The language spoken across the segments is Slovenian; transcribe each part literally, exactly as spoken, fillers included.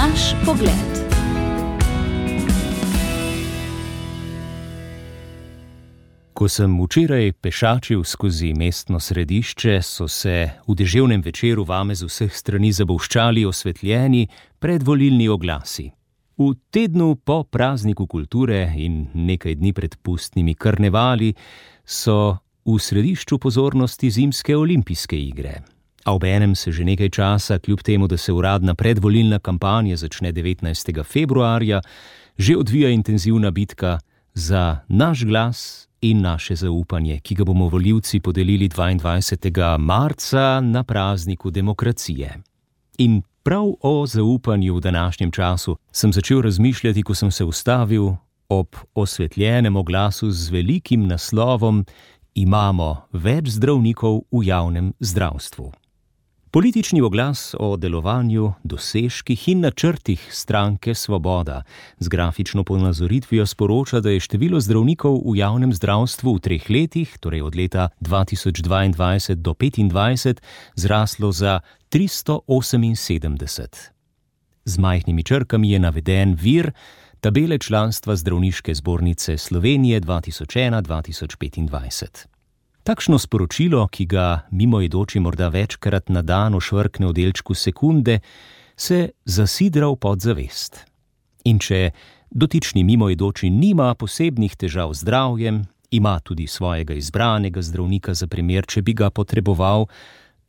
Naš pogled. Ko sem včeraj pešačil skozi mestno središče, so se v deževnem večeru vame z vseh strani zabolščali osvetljeni predvolilni oglasi. V tednu po prazniku kulture in nekaj dni pred pustnimi karnevali so v središču pozornosti zimske olimpijske igre. A obenem se že nekaj časa, kljub temu, da se uradna predvolilna kampanja začne devetnajstega februarja, že odvija intenzivna bitka za naš glas in naše zaupanje, ki ga bomo volivci podelili dvaindvajsetega marca na prazniku demokracije. In prav o zaupanju v današnjem času sem začel razmišljati, ko sem se ustavil ob osvetljenem oglasu z velikim naslovom Imamo več zdravnikov v javnem zdravstvu. Politični oglas o delovanju, dosežkih in načrtih stranke Svoboda z grafično ponazoritvijo sporoča, da je število zdravnikov v javnem zdravstvu v treh letih, torej od leta dva tisoč dvaindvajset do petindvajset, zraslo za tristo oseminsedemdeset. Z majhnimi črkami je naveden vir tabele članstva Zdravniške zbornice Slovenije dva tisoč ena do dva tisoč petindvajset. Takšno sporočilo, ki ga mimoidoči morda večkrat na dan ošvrkne v delčku sekunde, se zasidra v podzavest. In če dotični mimoidoči nima posebnih težav z zdravjem, ima tudi svojega izbranega zdravnika za primer, če bi ga potreboval,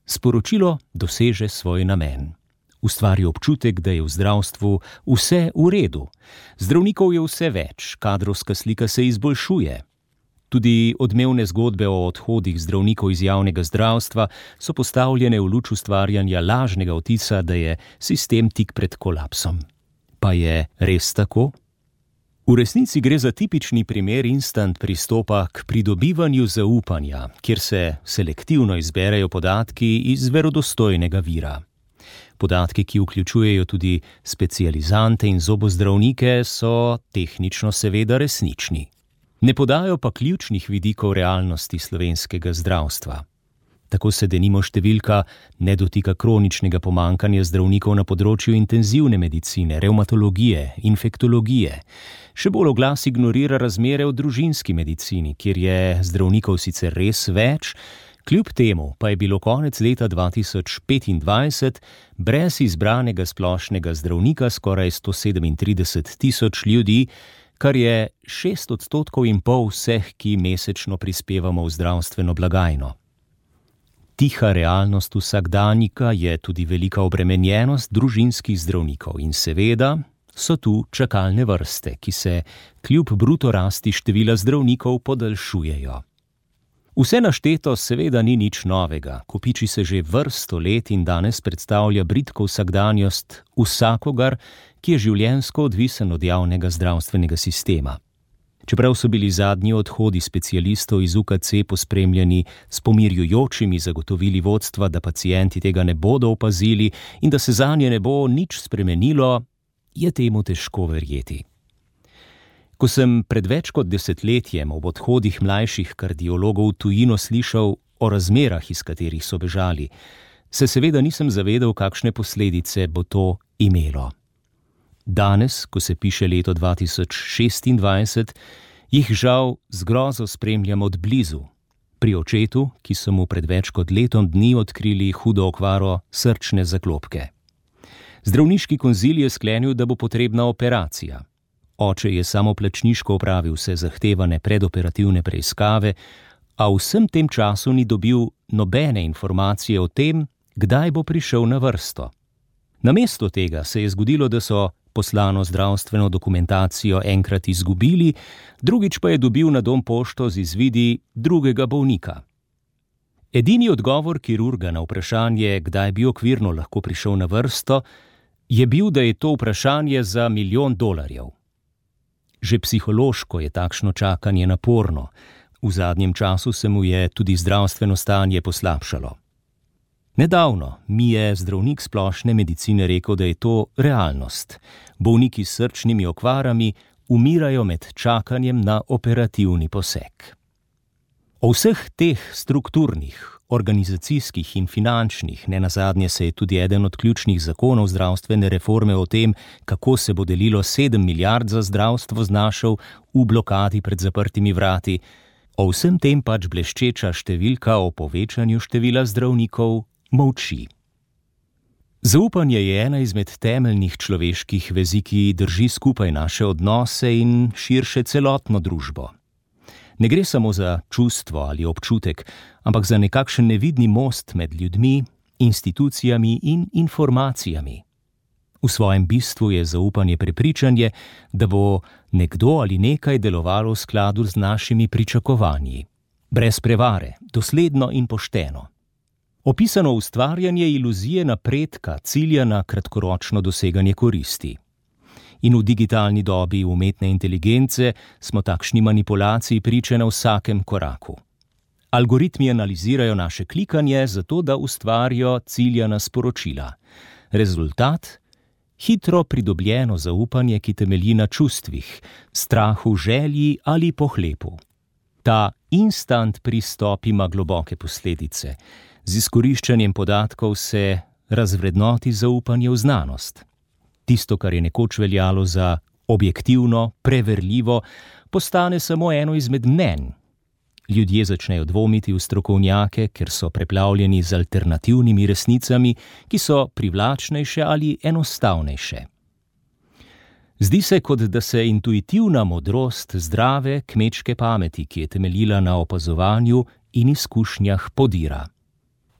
sporočilo doseže svoj namen. Ustvari občutek, da je v zdravstvu vse v redu. Zdravnikov je vse več, kadrovska slika se izboljšuje. Tudi odmevne zgodbe o odhodih zdravnikov iz javnega zdravstva so postavljene v luč ustvarjanja lažnega vtisa, da je sistem tik pred kolapsom. Pa je res tako? V resnici gre za tipični primer instant pristopa k pridobivanju zaupanja, kjer se selektivno izberejo podatki iz verodostojnega vira. Podatki, ki vključujejo tudi specializante in zobozdravnike, so tehnično seveda resnični. Ne podajo pa ključnih vidikov realnosti slovenskega zdravstva. Tako se denimo številka ne dotika kroničnega pomankanja zdravnikov na področju intenzivne medicine, revmatologije, infektologije. Še bolj oglas ignorira razmere v družinski medicini, kjer je zdravnikov sicer res več, kljub temu pa je bilo konec leta dva tisoč petindvajset brez izbranega splošnega zdravnika skoraj sto sedemintrideset tisoč ljudi, kar je šest odstotkov in pol vseh, ki mesečno prispevamo v zdravstveno blagajno. Tiha realnost vsakdanjika je tudi velika obremenjenost družinskih zdravnikov in seveda so tu čakalne vrste, ki se kljub bruto rasti števila zdravnikov podaljšujejo. Vse našteto seveda ni nič novega, kopiči se že vrsto let in danes predstavlja bridko vsakdanjost vsakogar, ki je življenjsko odvisen od javnega zdravstvenega sistema. Čeprav so bili zadnji odhodi specialistov iz U K C pospremljeni s pomirjujočimi zagotovili vodstva, da pacienti tega ne bodo opazili in da se zanje ne bo nič spremenilo, je temu težko verjeti. Ko sem pred več kot desetletjem ob odhodih mlajših kardiologov v tujino slišal o razmerah, iz katerih so bežali, se seveda nisem zavedal, kakšne posledice bo to imelo. Danes, ko se piše leto dva tisoč šestindvajset, jih žal z grozo spremljam od blizu. Pri očetu, ki so mu pred več kot letom dni odkrili hudo okvaro srčne zaklopke. Zdravniški konzil je sklenil, da bo potrebna operacija. Oče je samoplačniško opravil vse zahtevane predoperativne preiskave, a v vsem tem času ni dobil nobene informacije o tem, kdaj bo prišel na vrsto. Namesto tega se je zgodilo, da so poslano zdravstveno dokumentacijo enkrat izgubili, drugič pa je dobil na dom pošto z izvidi drugega bolnika. Edini odgovor kirurga na vprašanje, kdaj bi okvirno lahko prišel na vrsto, je bil, da je to vprašanje za milijon dolarjev. Že psihološko je takšno čakanje naporno. V zadnjem času se mu je tudi zdravstveno stanje poslabšalo. Nedavno mi je zdravnik splošne medicine rekel, da je to realnost. Bolniki s srčnimi okvarami umirajo med čakanjem na operativni poseg. O vseh teh strukturnih, organizacijskih in finančnih, nenazadnje se je tudi eden od ključnih zakonov zdravstvene reforme o tem, kako se bo delilo sedem milijard za zdravstvo, znašel v blokadi pred zaprtimi vrati, o vsem tem pač bleščeča številka o povečanju števila zdravnikov molči. Zaupanje je ena izmed temeljnih človeških vezi, ki drži skupaj naše odnose in širše celotno družbo. Ne gre samo za čustvo ali občutek, ampak za nekakšen nevidni most med ljudmi, institucijami in informacijami. V svojem bistvu je zaupanje prepričanje, da bo nekdo ali nekaj delovalo v skladu z našimi pričakovanji. Brez prevare, dosledno in pošteno. Opisano ustvarjanje iluzije napredka cilja na kratkoročno doseganje koristi. In v digitalni dobi umetne inteligence smo takšni manipulaciji priče na vsakem koraku. Algoritmi analizirajo naše klikanje zato, da ustvarijo ciljana sporočila. Rezultat? Hitro pridobljeno zaupanje, ki temelji na čustvih, strahu, želji ali pohlepu. Ta instant pristop ima globoke posledice. Z izkoriščanjem podatkov se razvrednoti zaupanje v znanost. Tisto, kar je nekoč veljalo za objektivno, preverljivo, postane samo eno izmed mnenj. Ljudje začnejo dvomiti v strokovnjake, ker so preplavljeni z alternativnimi resnicami, ki so privlačnejše ali enostavnejše. Zdi se, kot da se intuitivna modrost zdrave kmečke pameti, ki je temeljila na opazovanju in izkušnjah, podira.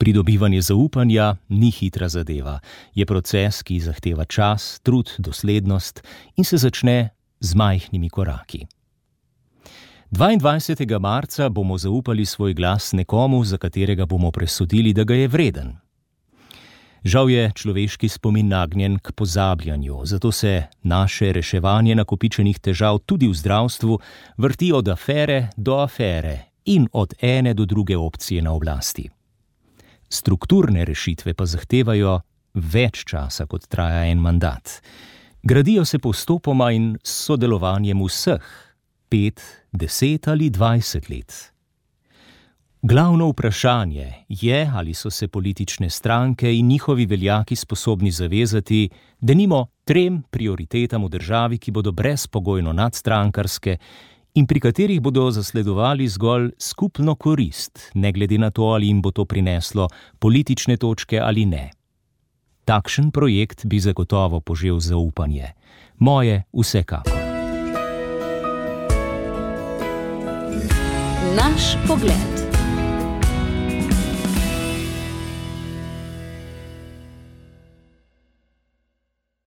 Pridobivanje zaupanja ni hitra zadeva, je proces, ki zahteva čas, trud, doslednost in se začne z majhnimi koraki. dvaindvajsetega marca bomo zaupali svoj glas nekomu, za katerega bomo presodili, da ga je vreden. Žal je človeški spomin nagnjen k pozabljanju, zato se naše reševanje nakopičenih težav tudi v zdravstvu vrti od afere do afere in od ene do druge opcije na oblasti. Strukturne rešitve pa zahtevajo več časa, kot traja en mandat. Gradijo se postopoma in s sodelovanjem vseh, pet, deset ali dvajset let. Glavno vprašanje je, ali so se politične stranke in njihovi veljaki sposobni zavezati, denimo trem prioritetam v državi, ki bodo brezpogojno nadstrankarske in pri katerih bodo zasledovali zgolj skupno korist, ne glede na to, ali jim bo to prineslo politične točke ali ne. Takšen projekt bi zagotovo požel zaupanje. Moje vsekakor. Naš pogled.